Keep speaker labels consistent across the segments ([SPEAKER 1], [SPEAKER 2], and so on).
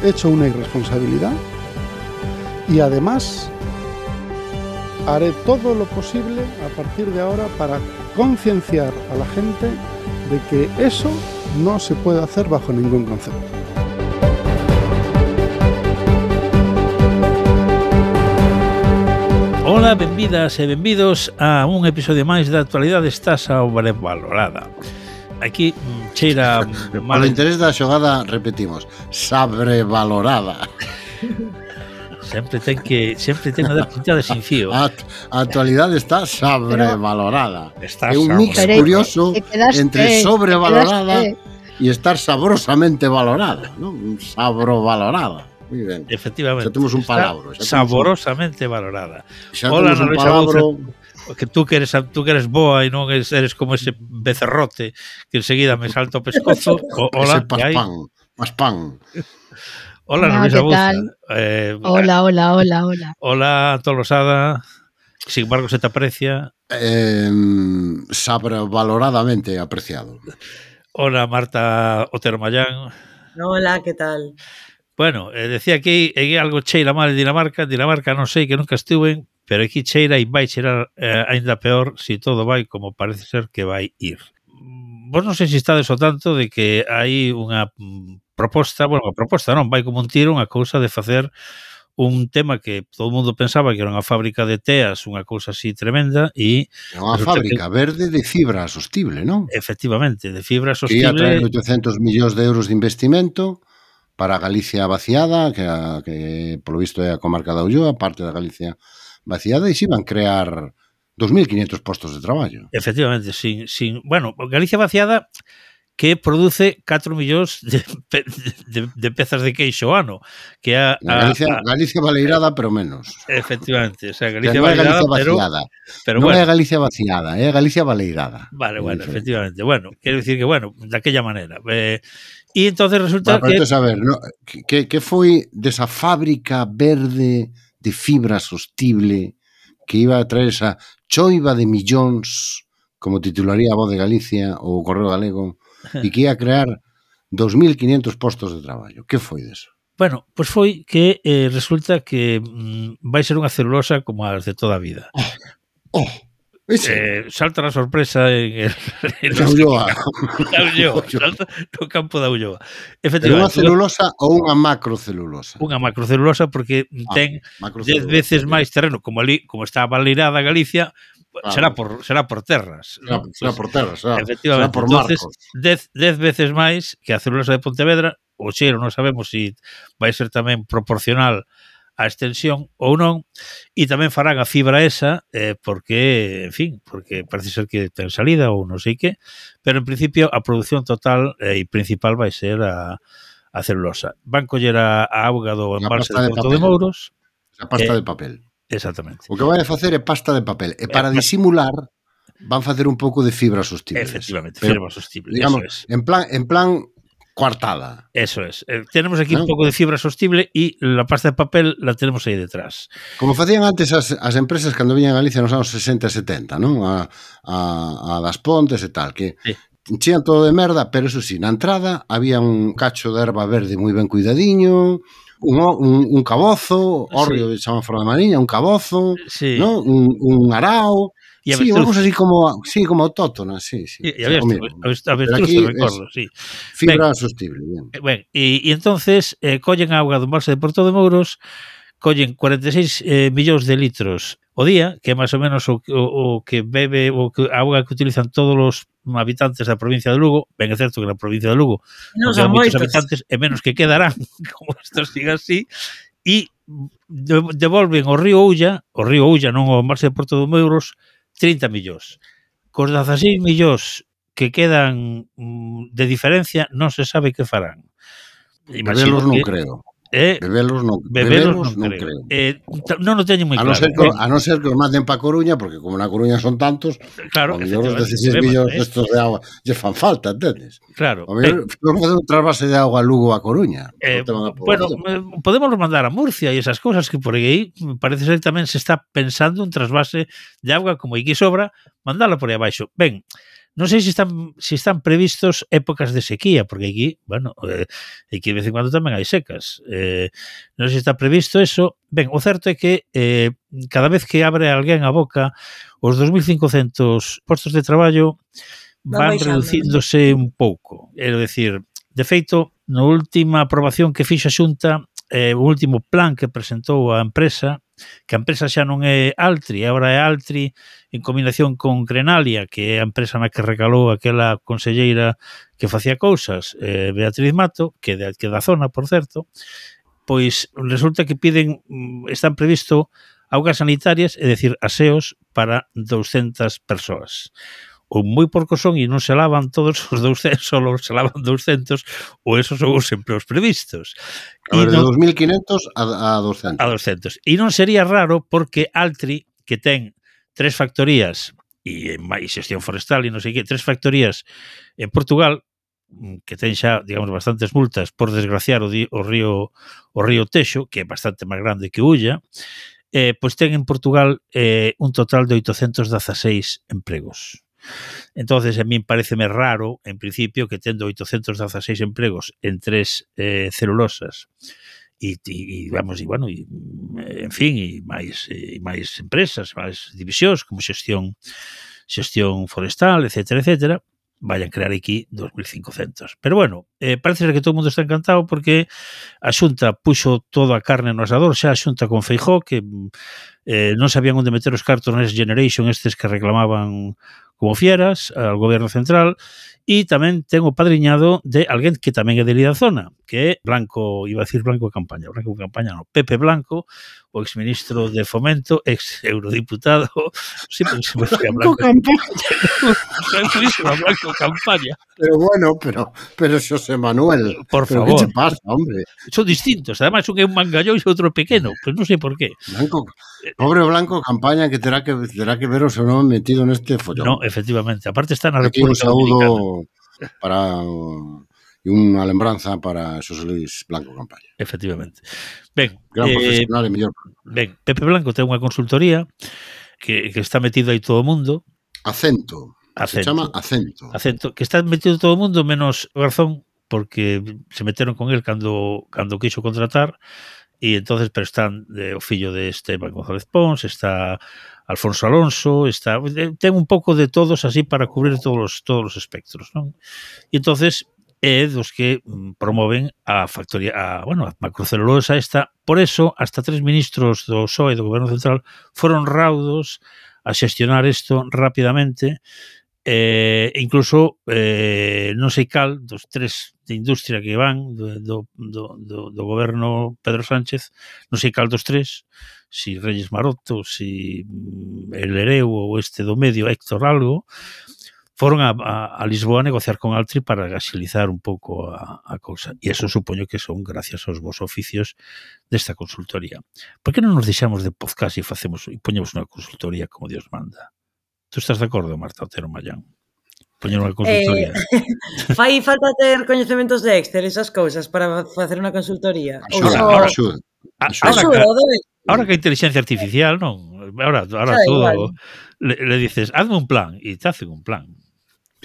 [SPEAKER 1] hecho una irresponsabilidad y además haré todo lo posible a partir de ahora para concienciar a la gente de que eso no se puede hacer bajo ningún concepto.
[SPEAKER 2] Ola, benvidas e benvidos a un episodio máis da Actualidade está sobrevalorada. Aquí cheira
[SPEAKER 3] mal. Polo interés da xogada repetimos, sobrevalorada.
[SPEAKER 2] Sempre ten a dar pintada sin fío.
[SPEAKER 3] A actualidade está sobrevalorada.
[SPEAKER 2] Está
[SPEAKER 3] é un mix curioso entre sobrevalorada e estar saborosamente valorada, ¿no? Sabrovalorada. Muy ben.
[SPEAKER 2] Efectivamente.
[SPEAKER 3] Xa temos un palabro.
[SPEAKER 2] Saborosamente valorada.
[SPEAKER 3] Xa temos un palabro.
[SPEAKER 2] Que tú que eres boa e non eres como ese becerrote que enseguida me salta o pescozo. Hola,
[SPEAKER 3] ese paspán.
[SPEAKER 2] Hola, Luisa Buza.
[SPEAKER 4] Hola.
[SPEAKER 2] Hola, Tolosada. Sin embargo, se te aprecia.
[SPEAKER 3] Sobrevaloradamente apreciado.
[SPEAKER 2] Hola, Marta Otero Mayán.
[SPEAKER 5] Hola, ¿qué tal?
[SPEAKER 2] Bueno, decía que hai algo cheira mal en Dinamarca. Dinamarca non sei, que nunca estuven, pero aquí cheira e vai cheirar ainda peor se todo vai como parece ser que vai ir. Vos non sei se estades ao tanto de que hai unha proposta, bueno, a proposta non, vai como un tiro unha cousa de facer un tema que todo o mundo pensaba que era unha fábrica de teas, unha cousa así tremenda, e
[SPEAKER 3] unha fábrica verde de fibra sostible, non?
[SPEAKER 2] Efectivamente, de fibra sostible.
[SPEAKER 3] Que ia traer 800 millóns de euros de investimento para Galicia vaciada, que polo visto é a comarca da Ulloa, parte da Galicia vaciada, e se iban crear 2.500 postos de traballo.
[SPEAKER 2] Efectivamente, bueno, Galicia vaciada que produce 4 millóns de pezas de queixo ano, que é
[SPEAKER 3] Galicia baleirada, pero menos.
[SPEAKER 2] Efectivamente, o sea, Galicia baleirada, pero
[SPEAKER 3] non
[SPEAKER 2] bueno.
[SPEAKER 3] é Galicia vaciada, é Galicia baleirada.
[SPEAKER 2] Vale, bueno, efectivamente. Bueno, quero dicir que, bueno, daquella maneira. E entonces resulta que...
[SPEAKER 3] A ver, ¿no? que foi desa fábrica verde de fibra sostible que iba a traer esa choiva de millóns, como titularía a Voz de Galicia ou o Correo Galego, e que ia a crear 2.500 postos de traballo. Que foi deso?
[SPEAKER 2] Bueno, pois foi que resulta que vai ser unha celulosa como as de toda a vida. Salta a sorpresa en
[SPEAKER 3] Ulloa.
[SPEAKER 2] Salta no campo da Ulloa.
[SPEAKER 3] Efectivamente. Unha celulosa ou unha macrocelulosa?
[SPEAKER 2] Unha macrocelulosa porque ten 10 veces máis terreno, como ali, como está baleirada Galicia, será por terras.
[SPEAKER 3] Será por terras,
[SPEAKER 2] efectivamente.
[SPEAKER 3] Será por
[SPEAKER 2] entonces,
[SPEAKER 3] marcos.
[SPEAKER 2] 10 veces máis que a celulosa de Pontevedra. O cheiro non sabemos se vai ser tamén proporcional a extensión ou non, e tamén farán a fibra esa porque, en fin, porque parece ser que ten salida ou non sei que, pero en principio a produción total e principal vai ser a celulosa. Van coller a auga do embalse de Porto de Mouros.
[SPEAKER 3] A pasta de papel.
[SPEAKER 2] Exactamente.
[SPEAKER 3] O que vai a facer é pasta de papel, e para disimular van facer un pouco de fibra sostible.
[SPEAKER 2] Efectivamente, fibra sostible,
[SPEAKER 3] digamos,
[SPEAKER 2] eso es.
[SPEAKER 3] En plan coartada.
[SPEAKER 2] Eso es. Tenemos aquí un pouco de fibra sostible e la pasta de papel la tenemos aí detrás.
[SPEAKER 3] Como facían antes as empresas cando viñan a Galicia nos anos 60 e 70, non? A das Pontes e tal, que enchían todo de merda, pero eso sí, na entrada había un cacho de erva verde moi ben cuidadiño, un cabozo, hórreo de semáforo de Mariña, un cabozo,
[SPEAKER 2] sí.
[SPEAKER 3] ¿no? Un arao. Sí, unha cosa así como autóctona, sí.
[SPEAKER 2] E avestruz, recordo, sí.
[SPEAKER 3] Fibra sostible, bien.
[SPEAKER 2] E entonces collen a auga do embalse de Porto de Mouros, collen 46 millóns de litros o día, que é máis ou menos o que bebe, a auga que utilizan todos os habitantes da provincia de Lugo. Ben, é certo que na provincia de Lugo non quedan moitos habitantes, e menos que quedarán, como isto siga así, e devolven ao río Ulla, non ao embalse de Porto de Mouros, 30 millóns. Cos 16 millóns que quedan de diferencia non se sabe que farán.
[SPEAKER 3] Bebelos non creo. Bebelos non creo.
[SPEAKER 2] Non o teño moi claro.
[SPEAKER 3] A non ser que os manden para Coruña, porque como na Coruña son tantos,
[SPEAKER 2] claro,
[SPEAKER 3] os 16 millóns estos de agua lle fan falta, entendes?
[SPEAKER 2] Claro.
[SPEAKER 3] Vamos a facer un trasvase de agua a Lugo a Coruña.
[SPEAKER 2] Bueno, podemos mandar a Murcia e esas cosas, que por aí parece ser que tamén se está pensando un trasvase de agua, como aquí sobra, mandala por aí abaixo. Ben, Non sei se están previstos épocas de sequía, porque aquí, bueno, aquí de vez en cuando tamén hai secas. Non sei se está previsto eso. Ben, o certo é que cada vez que abre alguén a boca, os 2.500 postos de traballo van reducíndose un pouco. É dicir, de feito, na última aprobación que fixa a Xunta, o último plan que presentou a empresa, que a empresa xa non é Altri, agora é Altri en combinación con Grenalia, que é a empresa na que recalou aquela conselleira que facía cousas, Beatriz Mato, que é da zona, por certo, pois resulta que están previsto augas sanitarias, é dicir, aseos para 200 persoas. Ou moi porcos son e non se lavan todos os 200, só se lavan 200, ou esos son os empleos previstos.
[SPEAKER 3] A ver, de 2.500 a 200.
[SPEAKER 2] A 200. E non sería raro porque Altri, que ten 3 factorías e xestión forestal e non sei que, 3 factorías en Portugal, que ten xa, digamos, bastantes multas por desgraciar o río Texo, que é bastante máis grande que Ulla, pois ten en Portugal un total de 816 empregos. Entonces, a min pareceme raro, en principio, que tendo 816 empregos en 3 celulosas e en fin, e máis empresas, máis divisións como xestión forestal, etcétera, vayan crear aquí 2.500. Pero bueno, parece que todo o mundo está encantado porque a Xunta puxo toda a carne no asador, xa a Xunta con Feijóo, que non sabían onde meter os cartos Next Generation estes que reclamaban como fieras ao goberno central, e tamén ten o padriñado de alguén que tamén é de da zona, que é Blanco, iba a decir Blanco Campaña no, Pepe Blanco, o exministro de Fomento, ex eurodiputado, sí, porque se me fue a Blanco Campaña.
[SPEAKER 3] Pero bueno, pero Xosé Manuel,
[SPEAKER 2] por
[SPEAKER 3] pero
[SPEAKER 2] favor.
[SPEAKER 3] Que te pasa, hombre?
[SPEAKER 2] Son distintos, además un é un mangallón e outro pequeno, pero non sei por qué.
[SPEAKER 3] Pobre Blanco Campaña que terá que ver o seu nome metido neste follón.
[SPEAKER 2] No, efectivamente, aparte está na
[SPEAKER 3] Aquí un
[SPEAKER 2] República
[SPEAKER 3] saúdo para e unha lembranza para Xosé Luis Blanco Campaña.
[SPEAKER 2] Efectivamente. Ben,
[SPEAKER 3] gran profesional e mellor.
[SPEAKER 2] Ben, Pepe Blanco ten unha consultoría que está metido aí todo o mundo.
[SPEAKER 3] Acento. Se chama Acento.
[SPEAKER 2] Acento, que está metido todo o mundo menos o Garzón, porque se meteron con él cando quixo contratar, e entonces pero están o fillo de Esteban González Pons, está Alfonso Alonso, ten un pouco de todos así para cubrir todos os espectros, non? E entonces é dos que promoven a factoría, a macrocelulosa esta. Por eso, hasta 3 ministros do PSOE do Goberno Central foron raudos a xestionar isto rapidamente, incluso non sei cal dos 3 de industria que van do goberno Pedro Sánchez, non sei cal dos 3, si Reyes Maroto, si el Ereu ou este do medio, Héctor algo, foron a Lisboa a negociar con Altri para agilizar un pouco a cousa. E eso supoño que son gracias aos vos oficios desta consultoría. Por que non nos deixamos de podcast e poñemos unha consultoría como Dios manda? Tú estás de acordo, Marta Otero Mallán? Poñer unha consultoría.
[SPEAKER 5] Fai falta ter coñecementos de Excel, esas cousas, para facer unha consultoría.
[SPEAKER 3] Axuda.
[SPEAKER 2] Ahora que a inteligencia artificial, non? Ahora todo le dices, hazme un plan, e te hacen un plan.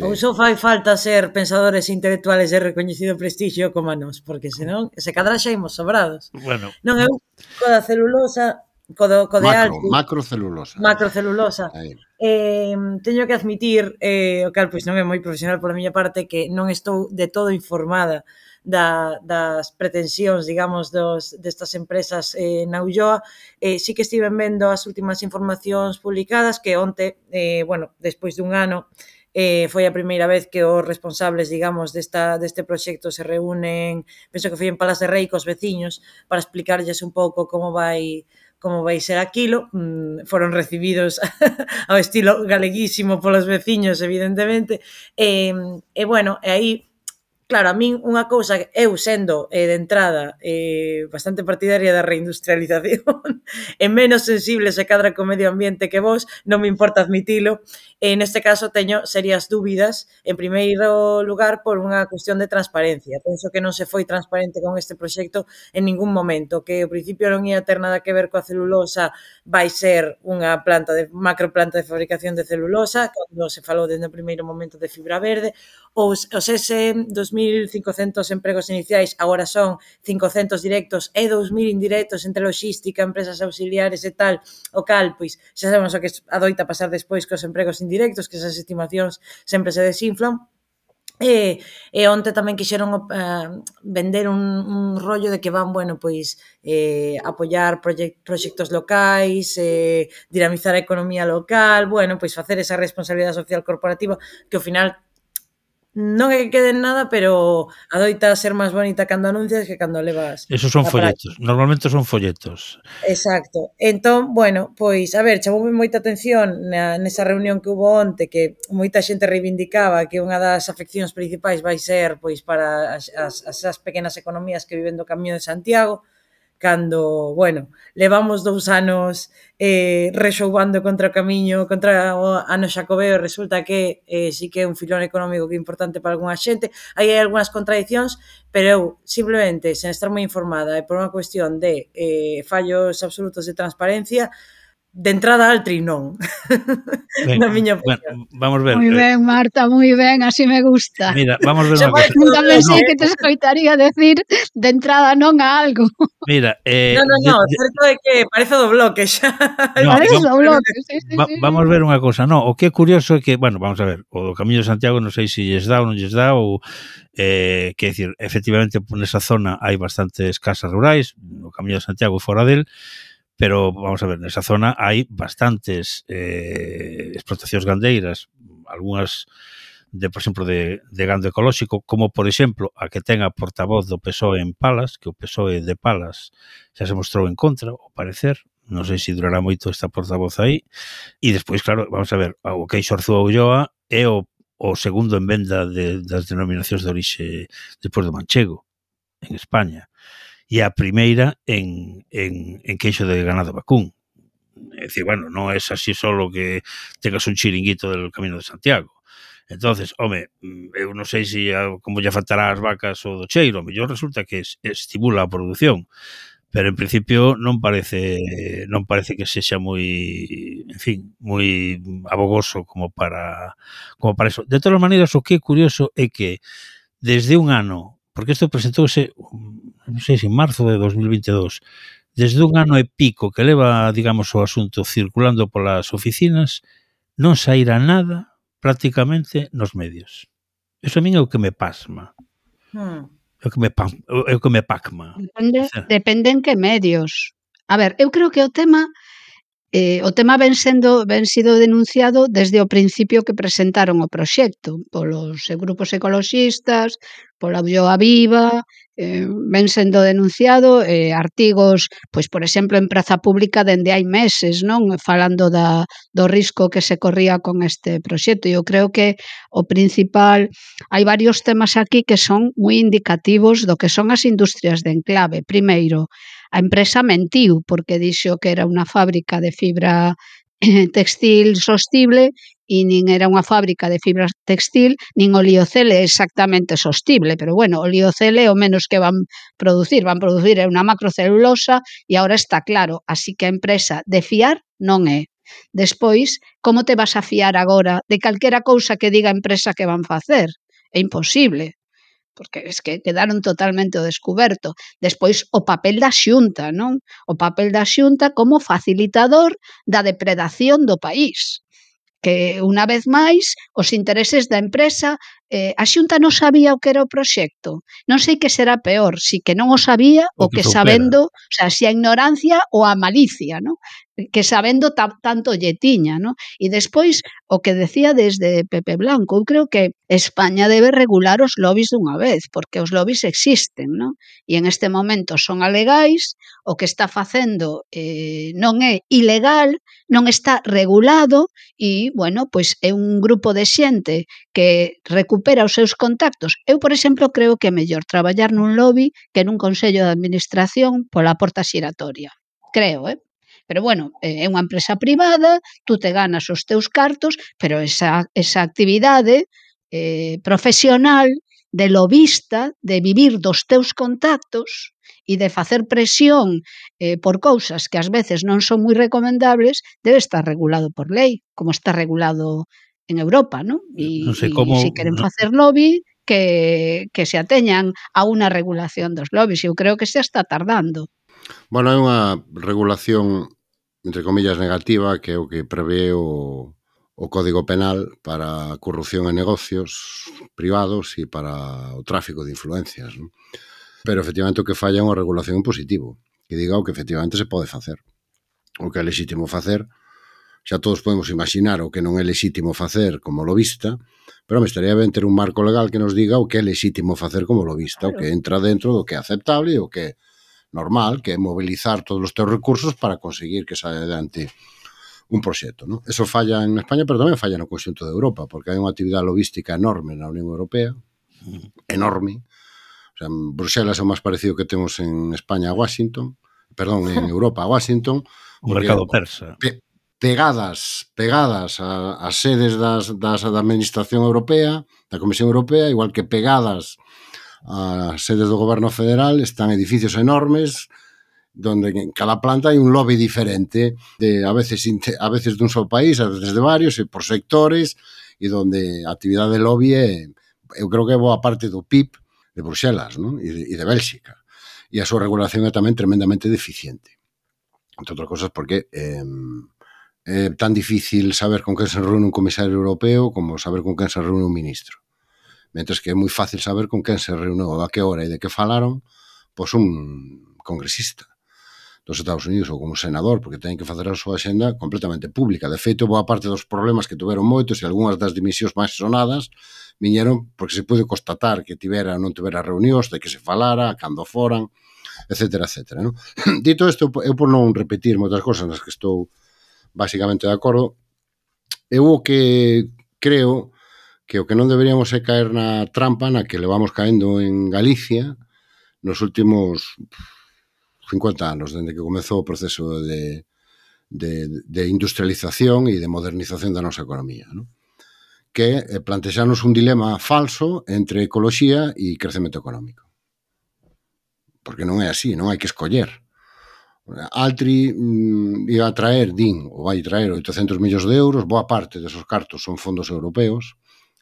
[SPEAKER 5] Ou só fai falta ser pensadores intelectuales de reconhecido prestixio como a nós, porque senón se cadra xa imos sobrados.
[SPEAKER 2] Bueno.
[SPEAKER 5] Non, eu co da celulosa, co de Altri, macrocelulosa. Teño que admitir, o cal pois non é moi profesional pola miña parte, que non estou de todo informada das pretensións, digamos, destas empresas na Ulloa. Sí que estiven vendo as últimas informacións publicadas, que onte, despois dun ano, foi a primeira vez que os responsables, digamos, deste proxecto se reúnen, penso que foi en Palas de Rei cos veciños, para explicarlles un pouco como vai ser aquilo. Foron recibidos ao estilo galeguísimo polos veciños, evidentemente, e aí claro, a min unha cousa, eu sendo de entrada bastante partidaria da reindustrialización e menos sensible se cadra co medio ambiente que vos, non me importa admitilo, neste caso teño serias dúbidas, en primeiro lugar por unha cuestión de transparencia. Penso que non se foi transparente con este proxecto en ningún momento, que ao principio non ia ter nada que ver coa celulosa, vai ser unha macroplanta de fabricación de celulosa, cando se falou desde o primeiro momento de fibra verde, os ese 2.500 empregos iniciais agora son 500 directos e 2.000 indirectos entre logística, empresas auxiliares e tal, o cal, pois, xa sabemos o que adoita pasar despois cos empregos indirectos, que esas estimacións sempre se desinflan. E onte tamén quixeron vender un rollo de que van, bueno, pois apoiar proxectos locais, dinamizar a economía local, bueno, pois facer esa responsabilidade social corporativa que ao final non é que quede en nada, pero adoita ser máis bonita cando anuncias que cando levas.
[SPEAKER 2] Esos son folletos, normalmente son folletos.
[SPEAKER 5] Exacto. Entón, bueno, pois, a ver, chamoume moita atención nesa reunión que hubo onte, que moita xente reivindicaba que unha das afeccións principais vai ser, pois, para as pequenas economías que viven do Camiño de Santiago, cando, bueno, levamos 2 anos rexoubando contra o Camiño, contra o ano Xacobeo, resulta que sí que é un filón económico que é importante para algunha xente. Aí hai algunhas contradicións, pero eu, simplemente, sen estar moi informada e por unha cuestión de fallos absolutos de transparencia, de entrada Altri non. Na miña opinión.
[SPEAKER 2] Bueno, vamos ver.
[SPEAKER 4] Moi ben, Marta, moi ben, así me gusta.
[SPEAKER 2] Mira, vamos ver unha cosa.
[SPEAKER 4] Nunca pensei que te escoitaría decir de entrada non a algo.
[SPEAKER 2] Mira,
[SPEAKER 5] No, certo é que parece do bloque xa.
[SPEAKER 4] Parece do bloque, sí.
[SPEAKER 2] Vamos ver unha cosa, no, o que é curioso é que, bueno, vamos a ver, o do Camiño de Santiago non sei se lles dá ou non lles dá, ou, que decir, efectivamente, nesa zona hai bastantes casas rurais, no Camiño de Santiago e fora del, pero, vamos a ver, nesa zona hai bastantes explotacións gandeiras, algunhas, por exemplo, de gando ecolóxico, como, por exemplo, a que ten a portavoz do PSOE en Palas, que o PSOE de Palas xa se mostrou en contra, ao parecer, non sei se durará moito esta portavoz aí, e despois, claro, vamos a ver, o Queixo Arzúa Ulloa é o segundo en venda das denominacións de orixe despois do manchego, en España, e a primeira en queixo de ganado vacún. É dicir, bueno, non é así solo que tengas un chiringuito del Camino de Santiago. Entonces, home, eu non sei se como lle faltará as vacas o do cheiro, mellor resulta que estimula a produción, pero en principio non parece que sexa moi, en fin, moi abogoso como para eso. De todas maneiras, o que é curioso é que desde un ano, porque isto presentouse, non sei se en marzo de 2022, desde un ano e pico que leva, digamos, o asunto circulando polas oficinas, non saíra nada prácticamente nos medios. Eso a min é o que me pasma. É o que me pacma.
[SPEAKER 4] Depende en que medios. A ver, eu creo que o tema ben sido denunciado desde o principio que presentaron o proxecto polos grupos ecoloxistas, pola Ulloa Viva, ben sendo denunciado, artigos, pois, por exemplo, en praza pública dende hai meses, non? Falando do risco que se corría con este proxecto. Eu creo que o principal, hai varios temas aquí que son moi indicativos do que son as industrias de enclave. Primeiro, a empresa mentiu porque dixo que era unha fábrica de fibra textil sostible e nin era unha fábrica de fibra textil, nin o liocele exactamente sostible, pero bueno, o liocele o menos que van producir é unha macrocelulosa e agora está claro, así que a empresa de fiar non é. Despois, como te vas a fiar agora de calquera cousa que diga a empresa que van facer? É imposible, porque es que quedaron totalmente ao descuberto. Despois, o papel da Xunta, non? O papel da Xunta como facilitador da depredación do país. Que, unha vez máis, os intereses da empresa, a Xunta non sabía o que era o proxecto. Non sei que será peor, si que non o sabía o que sabendo, o sea, si a ignorancia ou a malicia, non? que sabendo tanto lle tiña, ¿no? E despois, o que decía desde Pepe Blanco, eu creo que España debe regular os lobbies dunha vez, porque os lobbies existen, ¿no? E en este momento son alegais, o que está facendo non é ilegal, non está regulado e, bueno, pois é un grupo de xente que recupera os seus contactos. Eu, por exemplo, creo que é mellor traballar nun lobby que nun consello de administración pola porta xiratoria. Creo, Pero, bueno, é unha empresa privada, tú te ganas os teus cartos, pero esa actividade profesional de lobista, de vivir dos teus contactos e de facer presión por cousas que ás veces non son moi recomendables, debe estar regulado por lei, como está regulado en Europa, ¿no? E se queren facer lobby, que se ateñan a unha regulación dos lobbies. Eu creo que se está tardando.
[SPEAKER 3] Bueno, é unha regulación, entre comillas, negativa, que é o que prevé o Código Penal para a corrupción en negocios privados e para o tráfico de influencias, non? Pero, efectivamente, o que falla é unha regulación en positivo, que diga o que, efectivamente, se pode facer. O que é lexítimo facer, xa todos podemos imaginar o que non é lexítimo facer como lobista, pero me estaría ben ter un marco legal que nos diga o que é lexítimo facer como lobista, o que entra dentro do que é aceptable e o que é normal, que é mobilizar todos os teus recursos para conseguir que saia adiante un proxecto, non? Eso falla en España, pero tamén falla no conxunto de Europa, porque hai unha actividade logística enorme na Unión Europea, enorme. O sea, en Bruxelas é o máis parecido que temos en España a Washington, perdón, en Europa a Washington.
[SPEAKER 2] O mercado persa.
[SPEAKER 3] Pegadas ás sedes da Administración Europea, da Comisión Europea, igual que pegadas ás sedes do Goberno Federal, están edificios enormes, donde en cada planta hai un lobby diferente, a veces dun só país, a veces de varios, e por sectores, e donde a actividade de lobby eu creo que é boa parte do PIB de Bruxelas, non? E de Bélxica. E a súa regulación é tamén tremendamente deficiente. Entre outras cosas porque é tan difícil saber con quen se reúne un comisario europeo como saber con quen se reúne un ministro. Mentres que é moi fácil saber con quen se reúne ou a que hora e de que falaron pois un congresista dos Estados Unidos ou como senador, porque teñen que facer a súa axenda completamente pública. De feito, boa parte dos problemas que tuveron moitos e algunhas das dimisións máis sonadas viñeron porque se pude constatar que tivera ou non tivera reunións, de que se falara, cando foran, etcétera, etcétera, non? Dito isto, eu por non repetir moitas cosas nas que estou basicamente de acordo, eu o que creo que o que non deberíamos é caer na trampa na que levamos caendo en Galicia nos últimos 50 anos, dende que comezou o proceso de industrialización e de modernización da nosa economía, non? Que é plantexarnos un dilema falso entre ecoloxía e crecemento económico. Porque non é así, non hai que escoller. Altri iba a traer, ou vai traer 800 millóns de euros, boa parte desos cartos son fondos europeos,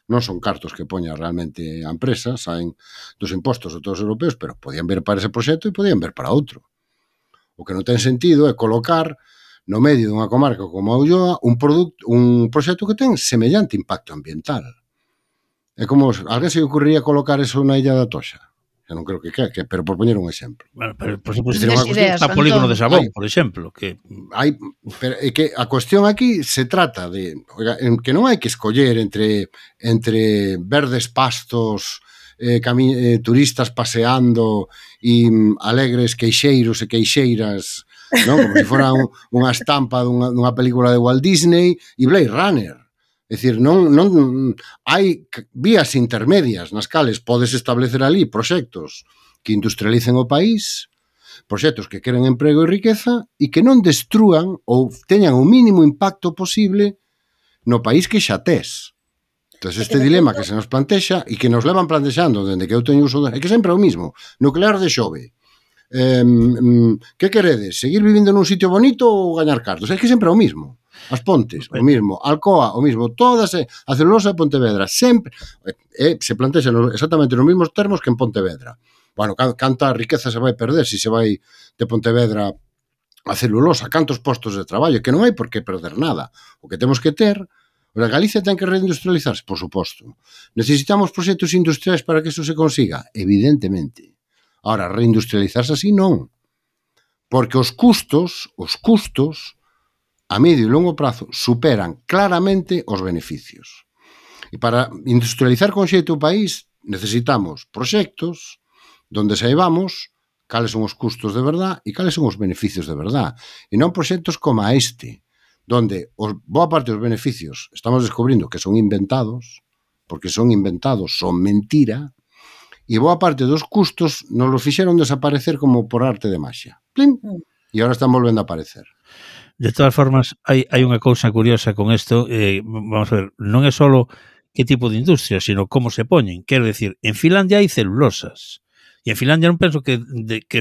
[SPEAKER 3] non son cartos que poña realmente a empresa, saen dos impostos de todos os europeos, pero podían ver para ese proxecto e podían ver para outro. O que non ten sentido é colocar no medio dunha comarca como a Ulloa un proxecto que ten semellante impacto ambiental. É como, alguén se ocurriría colocar eso na Illa da Toxa? Eu non creo que pero por poñer un exemplo.
[SPEAKER 2] Bueno, pero por suposto, está polígono de Sabón, por exemplo, que
[SPEAKER 3] que a cuestión aquí se trata de que non hai que escoller entre verdes pastos, turistas paseando e alegres queixeiros e queixeiras, non? Como se fora unha estampa dunha película de Walt Disney e Blade Runner. É dicir, non hai vías intermedias nas cales podes establecer ali proxectos que industrialicen o país, proxectos que queren emprego e riqueza e que non destrúan ou teñan o mínimo impacto posible no país que xa tes. Entón, este dilema que se nos plantexa e que nos levan plantexando dende que eu teño uso é que sempre é o mismo. Nuclear de Xove. Que queredes? Seguir vivindo nun sitio bonito ou gañar cartos? É que sempre é o mismo. As Pontes, o mismo. Alcoa, o mismo. Todas, a celulosa de Pontevedra, sempre se plantexa exactamente nos mesmos termos que en Pontevedra. Bueno, canta riqueza se vai perder se se vai de Pontevedra a celulosa, cantos postos de traballo, que non hai por que perder nada. O que temos que ter, a Galicia ten que reindustrializarse, por suposto. Necesitamos proxectos industriais para que eso se consiga? Evidentemente. Ahora, reindustrializarse así non. Porque os custos a medio e longo prazo superan claramente os beneficios. E para industrializar con xeito o país necesitamos proxectos donde saibamos cales son os custos de verdad e cales son os beneficios de verdad. E non proxectos como este, donde boa parte dos beneficios estamos descubrindo que son inventados, porque son inventados, son mentira, e boa parte dos custos nos los fixeron desaparecer como por arte de magia. Plim! E agora están volvendo a aparecer.
[SPEAKER 2] De todas formas, hai unha cousa curiosa con isto, vamos a ver, non é só que tipo de industria, sino como se poñen. Quero decir, en Finlandia hai celulosas, e en Finlandia non penso que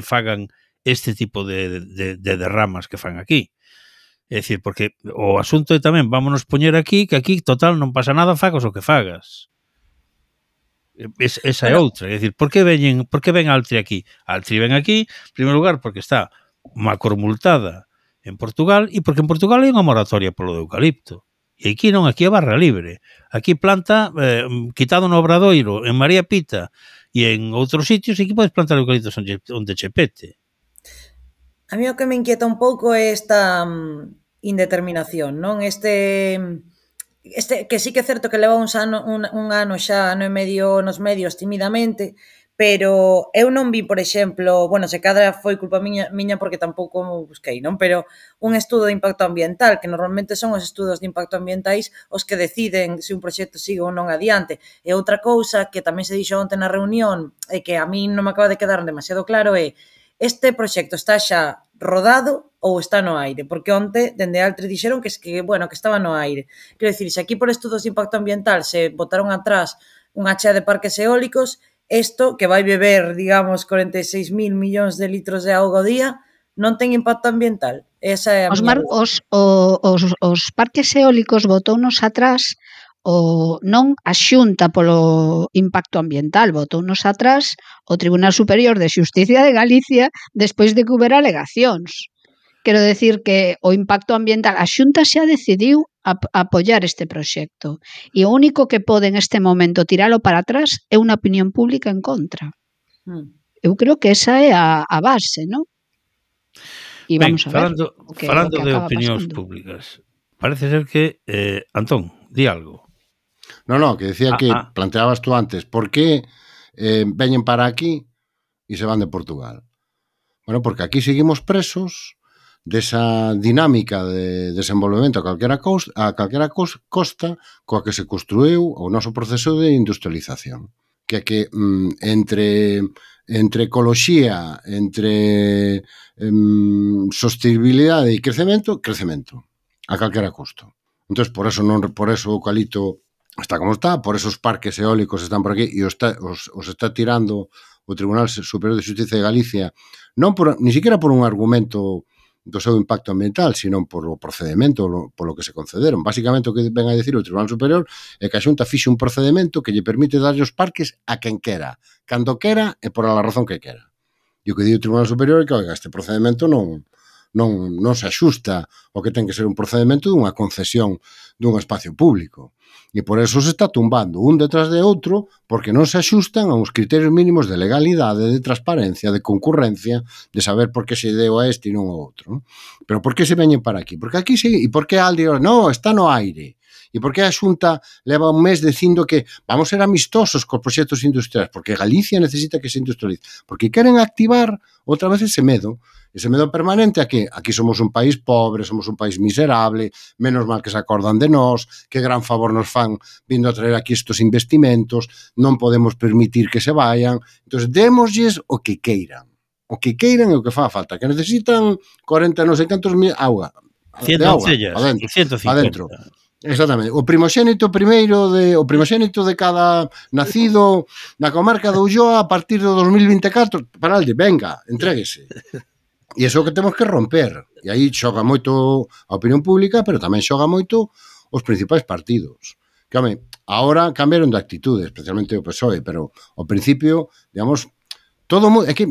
[SPEAKER 2] fagan este tipo de derramas que fan aquí. É dicir, porque o asunto é tamén, vámonos poñer aquí, que aquí, total, non pasa nada, fagas o que fagas. Esa é outra. É dicir, por que ven Altri aquí? Altri ven aquí, en primeiro lugar, porque está macromultada en Portugal, e porque en Portugal hai unha moratoria polo de eucalipto. E aquí non, aquí é barra libre. Aquí planta, quitado no Obradoiro, en María Pita, e en outros sitios, aquí podes plantar eucaliptos onde che pete.
[SPEAKER 5] A mí o que me inquieta un pouco é esta indeterminación, non? Que sí que é certo que leva un ano xa, ano e medio nos medios timidamente, pero eu non vi, por exemplo, bueno, se cadra foi culpa miña porque tampouco me busquei, non? Pero un estudo de impacto ambiental, que normalmente son os estudos de impacto ambientais os que deciden se un proxecto sigue ou non adiante. E outra cousa que tamén se dixo onte na reunión e que a mí non me acaba de quedar demasiado claro é este proxecto está xa rodado ou está no aire, porque onte, dende Altri, dixeron que estaba no aire. Quero dicir, se aquí por estudos de impacto ambiental se botaron atrás unha chea de parques eólicos, isto, que vai beber, digamos, 46.000 millóns de litros de auga ao día, non ten impacto ambiental. Esa é a
[SPEAKER 4] os parques eólicos botounos atrás non a Xunta polo impacto ambiental, botounos atrás o Tribunal Superior de Xusticia de Galicia despois de que houbera alegacións. Quero decir que o impacto ambiental, a Xunta xa decidiu apoiar este proxecto e o único que pode en este momento tiralo para atrás é unha opinión pública en contra. Eu creo que esa é a base, non?
[SPEAKER 2] E vamos a ver. Falando de opinións públicas, parece ser que Antón, di algo.
[SPEAKER 3] No, que decía que planteabas tú antes, por que veñen para aquí e se van de Portugal? Bueno, porque aquí seguimos presos desa dinámica de desenvolvemento a calquera costa coa que se construiu o noso proceso de industrialización. Que entre ecoloxía, entre sostenibilidade e crecemento, a calquera custo. Entón, por eso o eucalipto está como está, por eso os parques eólicos están por aquí e os está tirando o Tribunal Superior de Xusticia de Galicia, ni siquiera por un argumento do seu impacto ambiental, sino por o procedimento polo que se concederon. Básicamente o que ven a decir o Tribunal Superior é que a Xunta fixe un procedimento que lle permite darlle os parques a quen quera, cando quera e por a razón que quera. E o que di o Tribunal Superior é que, oiga, este procedimento non se axusta ao que ten que ser un procedimento dunha concesión dun espacio público. E por eso se está tumbando un detrás de outro porque non se axustan a uns criterios mínimos de legalidade, de transparencia, de concurrencia, de saber por que se deu a este e non ao outro. Pero por que se veñen para aquí? Porque aquí sí, e por que Aldi, no, está no aire. E por que a Xunta leva un mes dicindo que vamos ser amistosos cos proxectos industriais? Porque Galicia necesita que se industrialice. Porque queren activar outra vez ese medo permanente a que aquí somos un país pobre, somos un país miserable, menos mal que se acordan de nós, que gran favor nos fan vindo a traer aquí estos investimentos, non podemos permitir que se vayan. Entón, démoslles o que queiran. O que queiran é o que fa falta. Que necesitan 40 non sei cantos mil auga.
[SPEAKER 2] 100 cellas, 150.
[SPEAKER 3] Exactamente. O primogénito de cada nacido na comarca de Ulloa a partir do 2024, paralde, venga, entréguese. E iso que temos que romper. E aí xoga moito a opinión pública, pero tamén xoga moito os principais partidos. Que, home, agora cambiaron de actitude, especialmente o PSOE, pero ao principio, digamos, é que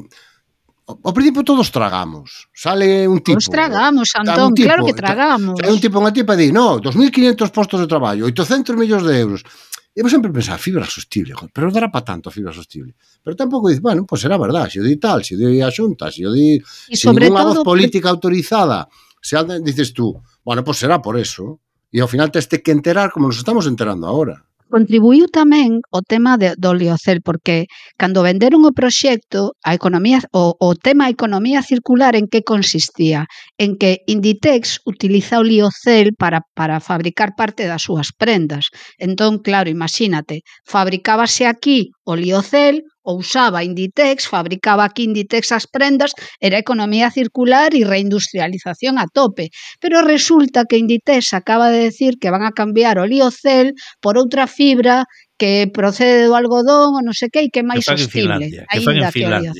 [SPEAKER 3] ao principio todos tragamos. Sale un tipo...
[SPEAKER 4] Todos tragamos, Antón, claro que tragamos.
[SPEAKER 3] Sale un tipo, unha tipa e di, no, 2.500 postos de traballo, 800 millóns de euros. E vos sempre pensar, fibra sostible, pero dará para tanto a fibra sostible. Pero tampouco dice, bueno, pues será verdad, se o di tal, se o di a Xunta, se o di... Se ninguna voz política autorizada, se dices tú, Bueno, pois será por eso. E ao final teste que enterar como nos estamos enterando agora.
[SPEAKER 4] Contribuiu tamén o tema do liocel, porque cando venderon o proxecto, o tema economía circular en que consistía? En que Inditex utiliza o liocel para fabricar parte das súas prendas. Entón, claro, imagínate, fabricábase aquí o liocel, ou usaba Inditex, fabricaba aquí Inditex as prendas, era economía circular e reindustrialización a tope. Pero resulta que Inditex acaba de decir que van a cambiar o liocel por outra fibra que procede do algodón ou non sei que e que é máis sostible.
[SPEAKER 2] Que fan en Finlandia.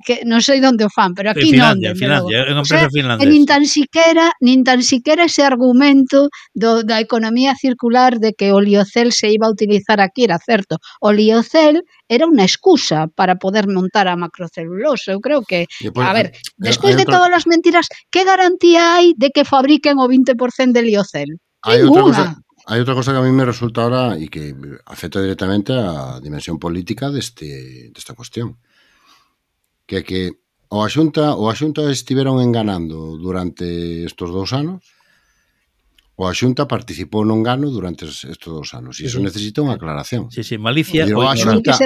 [SPEAKER 4] Que non sei onde o fan, pero aquí non, dende logo.
[SPEAKER 2] É unha empresa finlandesa.
[SPEAKER 4] Nin tan siquiera ese argumento da economía circular de que o liocel se iba a utilizar aquí era certo. O liocel era unha excusa para poder montar a macrocelulosa. Eu creo que, a ver, despois de todas as mentiras, que garantía hai de que fabriquen o 20% de liocel? Ninguna.
[SPEAKER 3] Hai outra cosa que a mí me resulta ahora e que afecta directamente a dimensión política desta cuestión. Que é que o a Xunta estiveron enganando durante estes 2 anos, o a Xunta participou no engano durante estes 2 anos, e iso necesita unha aclaración.
[SPEAKER 2] Sí, malicia.
[SPEAKER 3] O a Xunta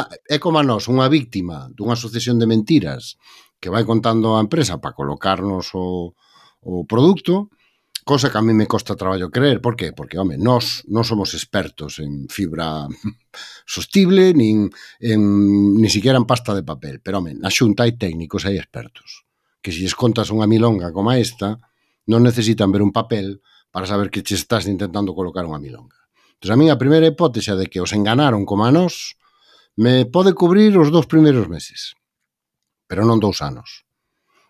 [SPEAKER 3] é como a nós, unha víctima dunha sucesión de mentiras que vai contando a empresa para colocarnos o produto, cosa que a mí me costa traballo creer. Por qué? Porque, home, nós non somos expertos en fibra sostible, nin siquiera en pasta de papel. Pero, home, na Xunta hai técnicos, hai expertos, que se lles contas unha milonga como esta, non necesitan ver un papel para saber que che estás intentando colocar unha milonga. Entón, a mí a primeira hipótese de que os enganaron como a nós me pode cubrir os 2 primeiros meses, pero non 2 anos.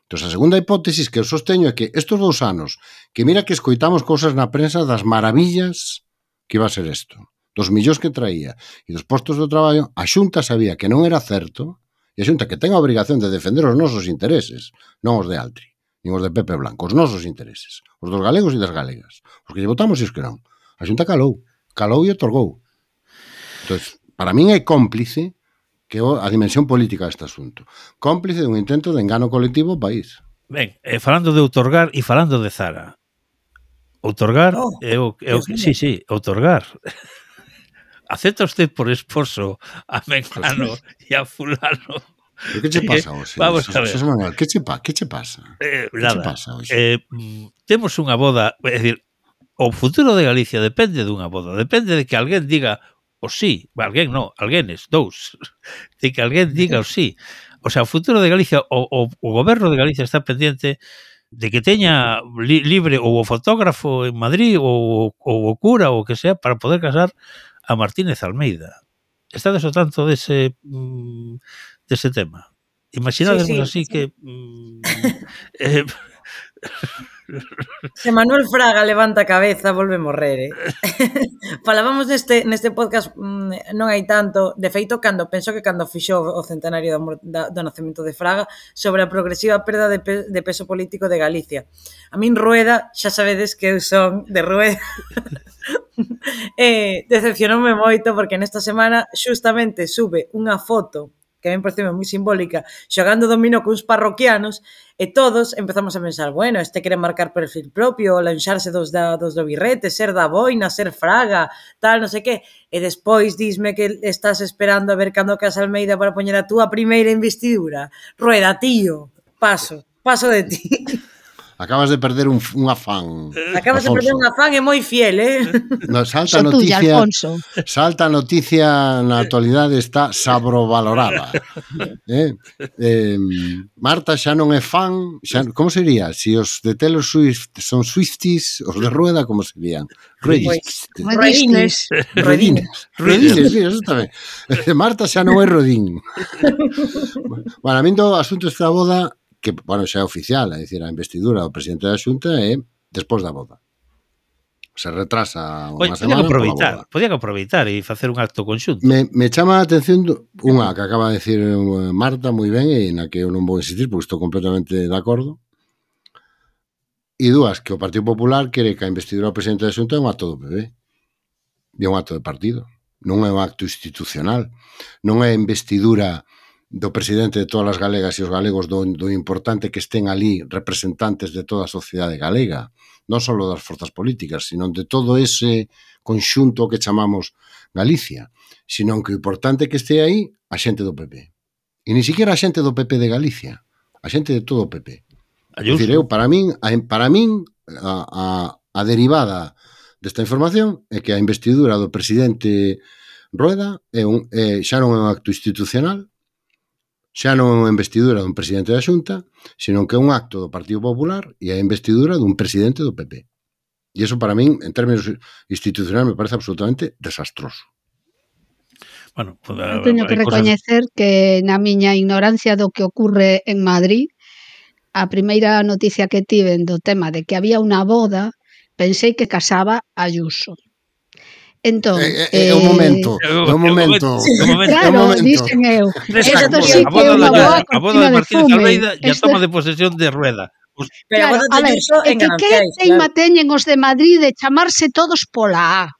[SPEAKER 3] Entón, a segunda hipótesis que eu sosteño é que estes 2 anos, que mira que escoitamos cousas na prensa das maravillas que iba a ser isto, dos millóns que traía e dos postos de traballo, a Xunta sabía que non era certo, e a Xunta que ten a obrigación de defender os nosos intereses, non os de Altri, nin os de Pepe Blanco, os nosos intereses, os dos galegos e das galegas, os que lle votamos e os que non. A Xunta calou e otorgou. Entón, para min é cómplice que a dimensión política deste asunto. Cómplice dun intento de engano colectivo ao país.
[SPEAKER 2] Ben, falando de outorgar e falando de Zara. Outorgar sí, outorgar. Acepta usted por esposo a Mengano e a fulano.
[SPEAKER 3] Pero que che pasa hoxe?
[SPEAKER 2] Vamos a ver.
[SPEAKER 3] Manuel, que che pasa?
[SPEAKER 2] Nada. Temos unha boda, é dicir, o futuro de Galicia depende dunha boda, depende de que alguén diga o sí, alguén non, alguénes, 2, de que alguén diga o sí. O sea, o futuro de Galicia, o goberno de Galicia está pendiente de que teña libre ou o fotógrafo en Madrid ou o cura ou o que sea para poder casar a Martínez Almeida. Estades ao tanto dese tema? Imaginademos así que...
[SPEAKER 5] Se Manuel Fraga levanta a cabeza, volve morrer, Falábamos neste podcast non hai tanto, de feito, cando fixo o centenario do nacemento de Fraga, sobre a progresiva perda de peso político de Galicia. A min Rueda, xa sabedes que eu son de Rueda, decepcionoume moito porque nesta semana xustamente sube unha foto que a mí me parece moi simbólica, xogando dominó cuns parroquianos, e todos empezamos a pensar, bueno, este quere marcar perfil propio, lanxarse dos do birrete, ser da boina, ser Fraga, tal, non sei que, e despois disme que estás esperando a ver cando casa Almeida para poñer a túa primeira investidura. Rueda, tío, paso de ti.
[SPEAKER 3] Acabas de perder un afán.
[SPEAKER 5] Acabas de perder un afán e moi fiel,
[SPEAKER 3] No, salta a noticia na actualidade está sabrovalorada. Marta xa non é fan, como sería? Si os de Taylor Swift son Swifties, os de Rueda como serían?
[SPEAKER 5] Redines,
[SPEAKER 3] eso tamén. Marta xa non é Rodín. Bueno, a min do asunto esta boda, que, bueno, xa é oficial, é dicir, a investidura do presidente da Xunta é despois da boda. Se retrasa unha semana pola boda.
[SPEAKER 2] Podían aproveitar e facer un acto conxunto.
[SPEAKER 3] Me chama a atención unha que acaba de decir Marta moi ben e na que eu non vou insistir porque estou completamente de acordo. E dúas, que o Partido Popular quere que a investidura do presidente da Xunta é un acto do PP. E un acto de partido. Non é un acto institucional. Non é investidura do presidente de todas as galegas e os galegos do importante que estén ali representantes de toda a sociedade galega, non só das forzas políticas, sino de todo ese conxunto que chamamos Galicia, sino que o importante que este aí a xente do PP. E ni siquiera a xente do PP de Galicia, a xente de todo o PP. É dicir, para min a derivada desta información é que a investidura do presidente Rueda xa non é un acto institucional, xa non é unha investidura dun presidente da Xunta, sino que é un acto do Partido Popular e a investidura dun presidente do PP. E iso para min, en términos institucionais, me parece absolutamente desastroso.
[SPEAKER 2] Bueno, pues,
[SPEAKER 4] teño que recoñecer que na miña ignorancia do que ocorre en Madrid, a primeira noticia que tiven do tema de que había unha boda, pensei que casaba Ayuso. Entón,
[SPEAKER 3] un momento.
[SPEAKER 4] Claro, dicen eu. Esto sí que é unha boa cortina de fume.
[SPEAKER 2] Ya toma de posesión de Rueda.
[SPEAKER 4] Claro, a ver, é que teima teñen os de Madrid de chamarse todos pola A.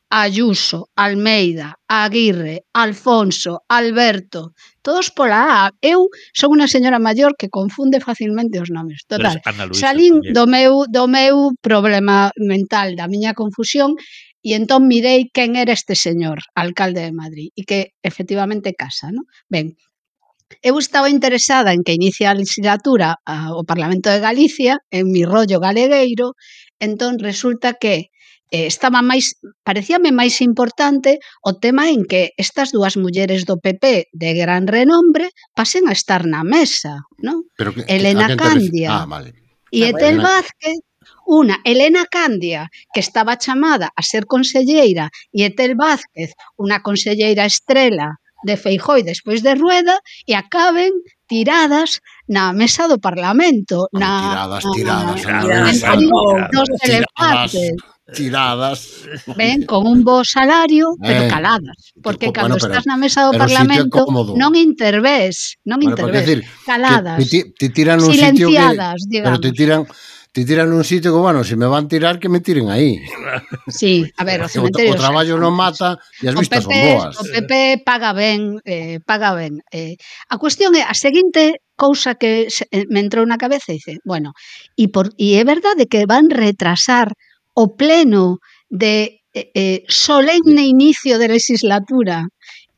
[SPEAKER 4] Ayuso, Almeida, Aguirre, Alfonso, Alberto, todos pola A. Eu son unha señora maior que confunde facilmente os nomes. Total, salín do meu problema mental, da miña confusión, e entón mirei quen era este señor, alcalde de Madrid, e que efectivamente casa, non? Ben, eu estaba interesada en que inicia a legislatura o Parlamento de Galicia, en mi rollo galegueiro, entón resulta que parecíame máis importante o tema en que estas dúas mulleres do PP de gran renombre pasen a estar na mesa, non? Elena Candia e Etel Vázquez. Una, Elena Candia, que estaba chamada a ser conselleira, e Etel Vázquez, unha conselleira estrela de Feijóo e despois de Rueda, e acaben tiradas na mesa do Parlamento.
[SPEAKER 3] Tiradas.
[SPEAKER 4] Ben, con un bo salario, pero caladas. Porque cando estás na mesa do Parlamento non intervés, caladas, silenciadas, digamos.
[SPEAKER 3] Pero te tiran nun sitio que, bueno, se me van tirar, que me tiren aí.
[SPEAKER 4] Sí, a ver, o cementerio...
[SPEAKER 3] O traballo non mata e as vistas son boas.
[SPEAKER 4] O PP paga ben, paga ben. A cuestión é, a seguinte cousa que me entrou na cabeza, dice, bueno, e é verdade que van retrasar o pleno de solemne inicio de legislatura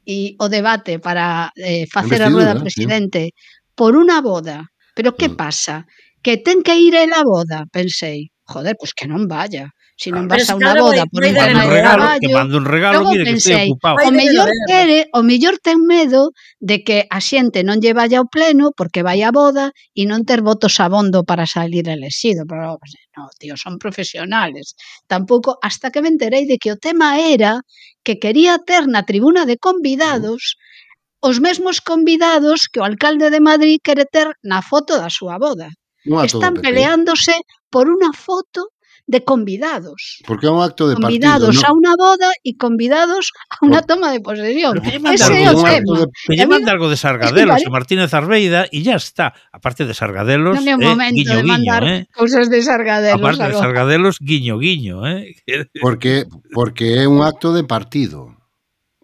[SPEAKER 4] e o debate para facer a rueda presidente por unha boda. Pero que pasa? Que ten que ir a boda, pensei. Joder, pois que non vaya. Se non vas a unha boda por un tema de traballo...
[SPEAKER 2] Que manda un regalo, mire que estou ocupado.
[SPEAKER 4] O mellor ten medo de que a xente non lle vaya ao pleno porque vai a boda e non ter votos abondo para salir elexido. Pero, no, tío, son profesionales. Tampouco, hasta que me enterei de que o tema era que quería ter na tribuna de convidados os mesmos convidados que o alcalde de Madrid quere ter na foto da súa boda. Están peleándose por unha foto de convidados.
[SPEAKER 3] Porque é un acto de partido.
[SPEAKER 4] Convidados a unha boda e convidados a unha toma de posesión. Ese é o tema.
[SPEAKER 2] Que lle manda algo de Sargadelos e Martínez Arbeida e ya está. Aparte de Sargadelos,
[SPEAKER 4] non é o momento de mandar cousas de Sargadelos.
[SPEAKER 2] Aparte de Sargadelos, guiño.
[SPEAKER 3] Porque é un acto de partido.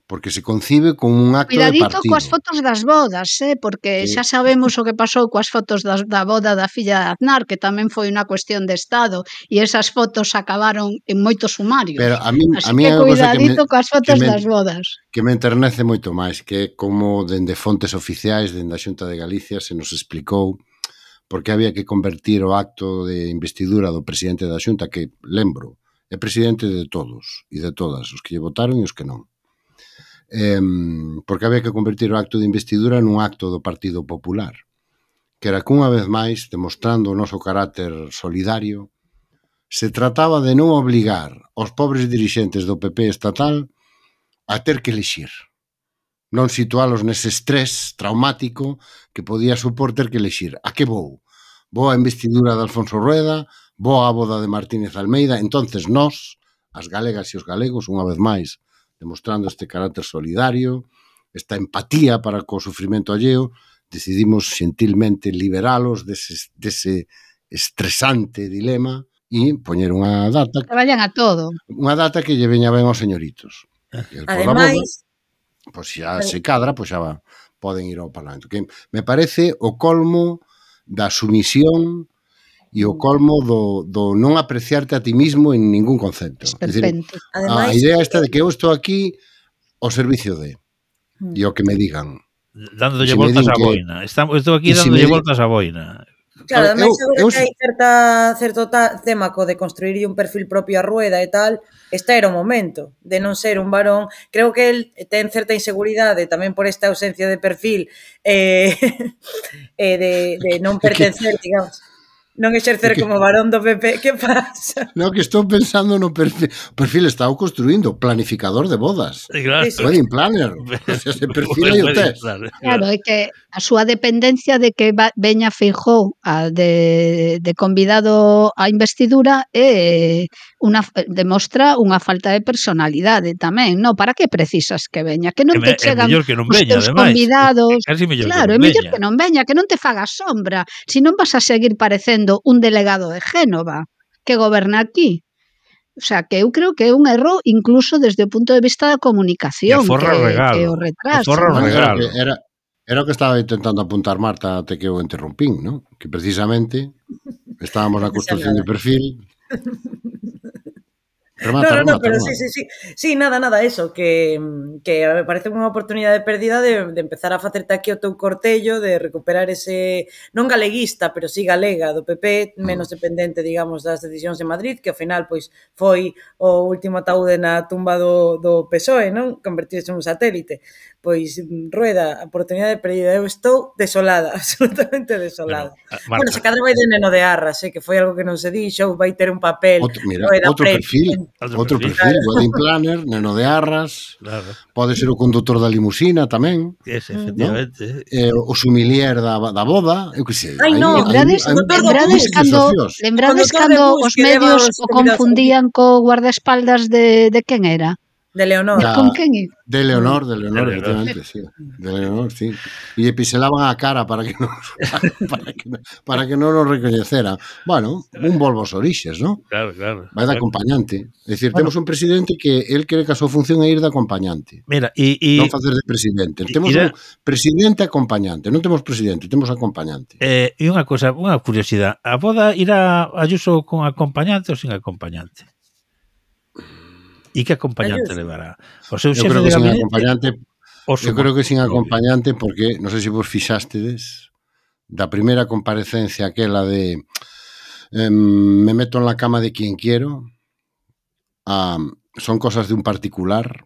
[SPEAKER 3] Porque se concibe como un acto de partido.
[SPEAKER 4] Cuidadito coas fotos das bodas, porque xa sabemos o que pasou coas fotos da boda da filla de Aznar, que tamén foi unha cuestión de Estado, e esas fotos acabaron en moitos sumarios.
[SPEAKER 3] Pero a mí
[SPEAKER 4] que cuidadito coas fotos das bodas.
[SPEAKER 3] Que me enternece moito máis, que é como dende fontes oficiais, dende a Xunta de Galicia, se nos explicou porque había que convertir o acto de investidura do presidente da Xunta, que, lembro, é presidente de todos e de todas, os que lle votaron e os que non. Porque había que convertir o acto de investidura nun acto do Partido Popular, que era que unha vez máis, demostrando o noso carácter solidario, se trataba de non obligar aos pobres dirixentes do PP estatal a ter que elixir, non situalos nese estrés traumático que podía supor ter que elixir. A que vou? Vou a investidura de Alfonso Rueda, vou á boda de Martínez Almeida. Entonces nós, as galegas e os galegos, unha vez máis, demostrando este carácter solidario, esta empatía para co sufrimento alleo, decidimos xentilmente liberalos dese estresante dilema e poñer unha data...
[SPEAKER 4] Que vayan a todo.
[SPEAKER 3] Unha data que lle veña ben aos señoritos.
[SPEAKER 5] Ademais,
[SPEAKER 3] pois xa se cadra, pois xa poden ir ao Parlamento. Que me parece o colmo da sumisión e o colmo do non apreciarte a ti mismo en ningún concepto. É dicir, a idea esta de que eu estou aquí ao servicio de e o que me digan.
[SPEAKER 2] Dándolle voltas á boina. Estou aquí dándolle voltas á boina.
[SPEAKER 5] Claro, ademais seguro que hai certo tema co de construir un perfil propio a Rueda e tal, este era o momento de non ser un varón. Creo que el ten certa inseguridade tamén por esta ausencia de perfil de non pertencer, digamos, non exercer como varón do PP. Que pasa?
[SPEAKER 3] No, que estou pensando no perfil. O perfil está o construindo, planificador de bodas.
[SPEAKER 2] Claro.
[SPEAKER 3] Wedding planner. Ese perfil aí o tes.
[SPEAKER 4] Claro, é que a súa dependencia de que veña Feijóo de convidado á investidura demostra unha falta de personalidade tamén, non? Para que precisas que veña? Que non te chegan os teus convidados. Claro, é mellor que non veña, que non te faga sombra, se non vas a seguir parecendo un delegado de Génova que goberna aquí. O sea, que eu creo que é un erro incluso desde o punto de vista da comunicación, que o retraso.
[SPEAKER 3] Era o que estaba intentando apuntar Marta até que eu interrumpín, ¿no? Que precisamente estábamos na construcción de perfil.
[SPEAKER 5] Remata, pero sí, nada, eso, que me parece unha oportunidade perdida de empezar a facerte aquí o teu cortello, de recuperar ese, non galeguista, pero sí galega do PP, menos dependente, digamos, das decisións de Madrid, que ao final, pois, foi o último ataúde na tumba do PSOE, non? Convertirse en un satélite. Pois, Rueda, oportunidade perdida. Eu estou desolada, absolutamente desolada. Bueno, se cadra vai de Neno de Arras, que foi algo que non se dixo, vai ter un papel.
[SPEAKER 3] Outro perfil, wedding planner, Neno de Arras, pode ser o condutor da limusina tamén.
[SPEAKER 2] Efectivamente.
[SPEAKER 3] O sumilier da boda, eu que sei.
[SPEAKER 4] Lembrades cando os medios o confundían co guardaespaldas de quen era?
[SPEAKER 5] De Leonor.
[SPEAKER 4] Con quen?
[SPEAKER 3] De Leonor, efectivamente, sí. De Leonor, sí. E lle piselaban a cara para que non nos recoñecera. Bueno, un volvo aos orixes, non?
[SPEAKER 2] Claro.
[SPEAKER 3] Vai de acompañante. É dicir, temos un presidente que el cree que a súa función é ir de acompañante.
[SPEAKER 2] Mira,
[SPEAKER 3] non facer de presidente. Temos un presidente acompañante, non temos presidente, temos acompañante.
[SPEAKER 2] E unha cosa, unha curiosidade. A boda irá Ayuso con acompañante ou sin acompañante? E que acompañante levará? O seu xefe de gabinete?
[SPEAKER 3] Eu creo que sin acompañante porque, non sei se vos fixástedes da primeira comparecencia aquela de me meto en la cama de quien quiero, son cosas de un particular.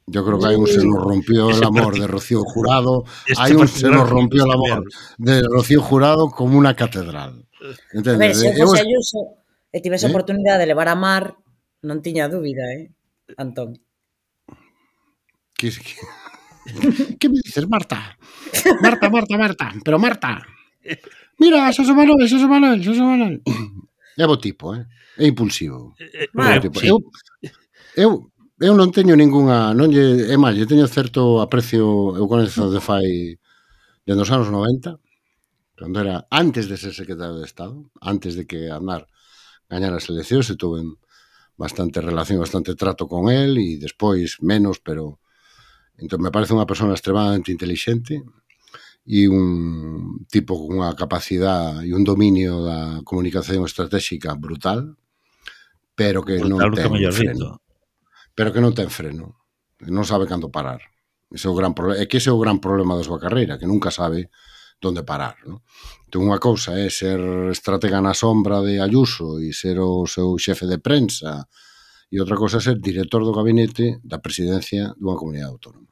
[SPEAKER 3] Yo creo que hai un se nos rompió el amor de Rocío Jurado, hai un se nos rompió el amor de Rocío Jurado como unha catedral.
[SPEAKER 5] A ver, se fose Ayuso e tivese oportunidade de levar a Mar, non tiña dúbida, Antón.
[SPEAKER 3] ¿Qué me dices, Marta? Marta. Pero Marta, mira, Xosé Manuel. É bo tipo, é impulsivo. Eu non teño ningunha, é máis, eu teño certo aprecio, eu conezo de fai dende os anos 90, cando era antes de ser secretario de Estado, antes de que Aznar gañara as eleccións, e tuve bastante relación, bastante trato con él, e despois menos, pero entón me parece unha persona extremadamente intelixente e un tipo con unha capacidade e un dominio da comunicación estratégica brutal, pero que non ten freno. Non sabe cando parar. Ese é o gran problema. É que ese é o gran problema da súa carreira, que nunca sabe donde parar, ¿no? Entón, unha cousa é ser estratega na sombra de Ayuso e ser o seu xefe de prensa, e outra cousa é ser director do gabinete da presidencia dunha comunidade autónoma,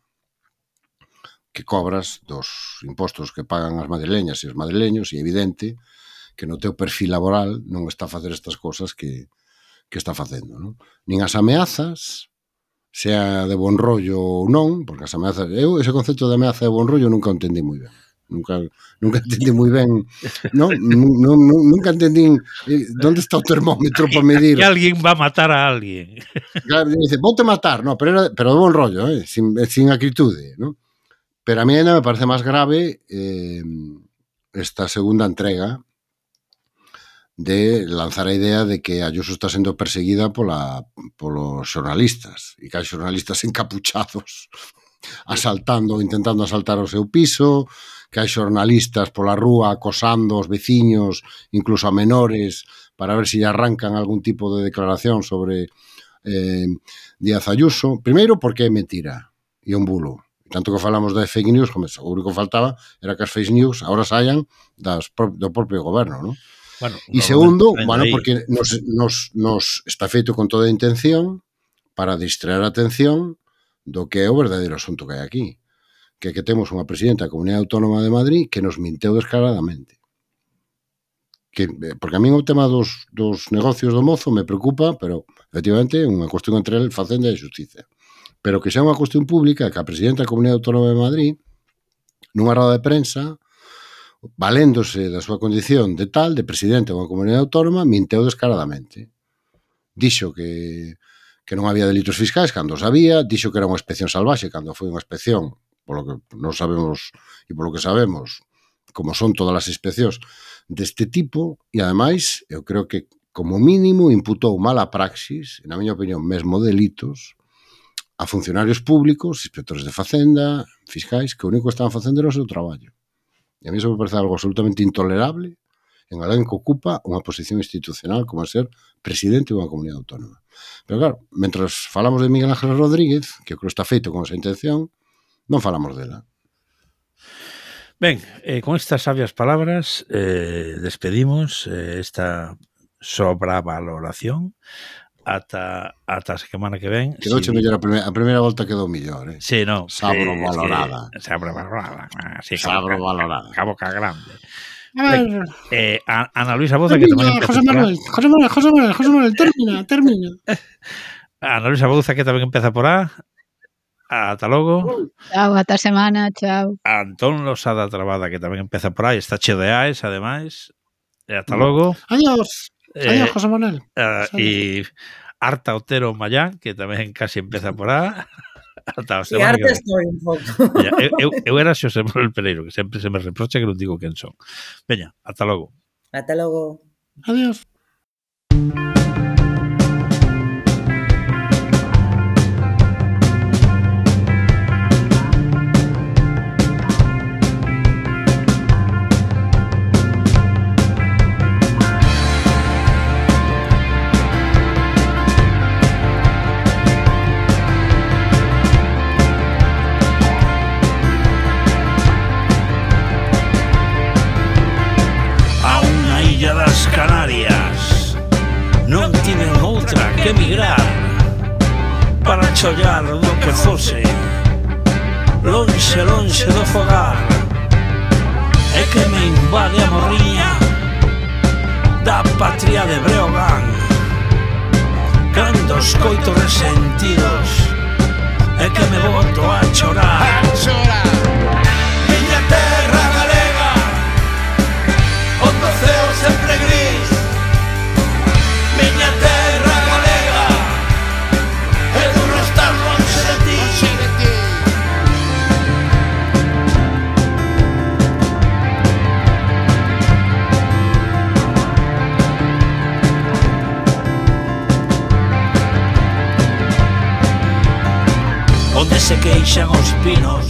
[SPEAKER 3] que cobras dos impostos que pagan as madrileñas e os madrileños, e é evidente que no teu perfil laboral non está a facer estas cousas que está facendo, non? Nin as ameazas, sea de bon rollo ou non, porque as ameazas, eu ese concepto de ameaza de bon rollo nunca o entendí moi ben. Nunca entendí moi ben, non? Nunca entendí onde está o termómetro para medir.
[SPEAKER 2] Que alguén va a matar a alguén.
[SPEAKER 3] Claro, dice, voute matar, no, pero de bon rollo, sin acritude, non? Pero a mí ainda me parece máis grave esta segunda entrega de lanzar a idea de que Ayuso está sendo perseguida polos xornalistas, e que hai xornalistas encapuchados intentando asaltar o seu piso, que hai xornalistas pola rúa acosando os veciños, incluso a menores, para ver se lle arrancan algún tipo de declaración sobre Díaz Ayuso. Primeiro, porque é mentira e un bulo. Tanto que falamos de fake news, como o único que faltaba era que as fake news ahora saian do propio goberno, non?
[SPEAKER 2] Bueno,
[SPEAKER 3] e segundo, porque nos está feito con toda a intención para distraer a atención do que é o verdadeiro asunto que hai aquí, que temos unha presidenta da Comunidade Autónoma de Madrid que nos minteu descaradamente. Porque a mí o tema dos negocios do mozo me preocupa, pero efectivamente é unha cuestión entre el, Facenda e Xustiza. Pero que xa unha cuestión pública que a presidenta da Comunidade Autónoma de Madrid, nunha roda de prensa, valéndose da súa condición de tal, de presidente dunha comunidade autónoma, minteu descaradamente. Dixo que non había delitos fiscais cando os había, dixo que era unha inspección salvaxe cando foi unha inspección, polo que non sabemos e polo que sabemos, como son todas as inspeccións deste tipo, e ademais, eu creo que como mínimo imputou mala praxis, na miña opinión, mesmo delitos, a funcionarios públicos, inspectores de Facenda, fiscais, que o único que estaban facendo era o seu traballo. E a mí eso me parece algo absolutamente intolerable en alguén que ocupa unha posición institucional como ser presidente dunha comunidade autónoma. Pero claro, mentras falamos de Miguel Ángel Rodríguez, que creo está feito con esa intención, non falamos dela.
[SPEAKER 2] Ben, con estas sabias palabras despedimos esta sobravaloración ata a semana que ven.
[SPEAKER 3] Quedouche mellor a primeira volta quedou mellor,
[SPEAKER 2] Sí, non.
[SPEAKER 3] Sabrovalorada.
[SPEAKER 2] Sabrovalorada.
[SPEAKER 3] Sabrovalorada.
[SPEAKER 2] A boca grande. Ana Luisa Bouza, que tamén
[SPEAKER 1] empeza por A. José Manuel, termina.
[SPEAKER 2] Ana Luisa Bouza, que tamén empeza por A. Ata logo.
[SPEAKER 4] Chao, ata semana, chao.
[SPEAKER 2] Antón Losada Trabada, que tamén empeza por A, está cheo de Aes, ademais. Ata logo.
[SPEAKER 1] Adiós, José Manuel.
[SPEAKER 2] E Arta Otero Mayán, que tamén casi empeza por A. Ata
[SPEAKER 5] e Arta estou un pouco.
[SPEAKER 2] Eu era Xosé Manuel Pereiro, que sempre se me reprocha que non digo quen son. Veña, ata logo.
[SPEAKER 5] Ata logo.
[SPEAKER 1] Adiós.
[SPEAKER 2] Canarias non tiven outra que emigrar para chollar do que fose lonxe do fogar, e que me invade a morriña da patria de Breogán cando escoito resentidos e que me boto a chorar. Miña terra galega onde o ceo sempre gris, miña terra galega é duro estar lonxe de ti. Onde se queixan os pinos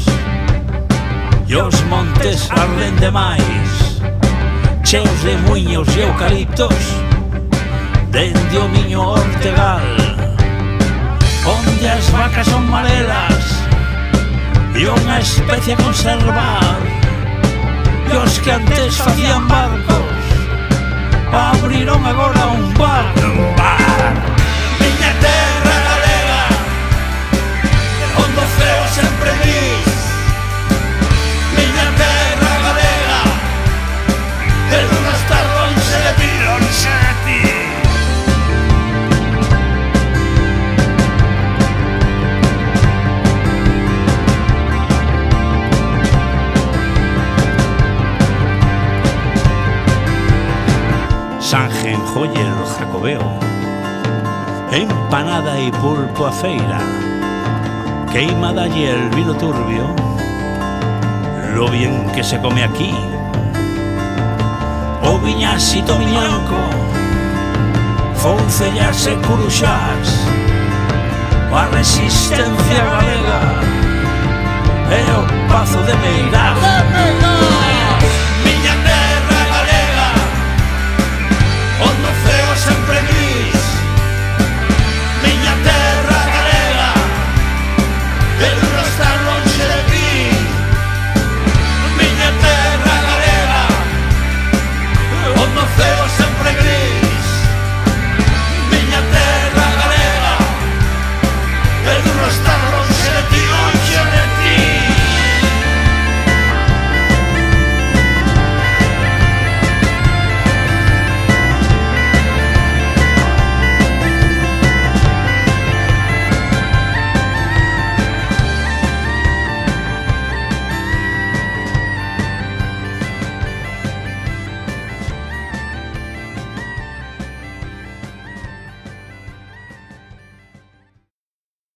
[SPEAKER 2] e os montes arden demais, cheos de muiños e eucaliptos dende o miño Ortegal, onde as vacas son marelas e unha especie a conservar, e os que antes facían barcos abriron agora un bar. Miña terra galega onde o ceo sempre gris, miña terra galega de duro estar lonxe de ti, lonxe de ti. Sanjenjoyer Jacobeo, empanada e pulpo a feira, queimada y el vino turbio, lo bien que se come aquí. O viñasito viñanco, foncellas e curuxás, a resistencia galega
[SPEAKER 6] e o Pazo de Meirás.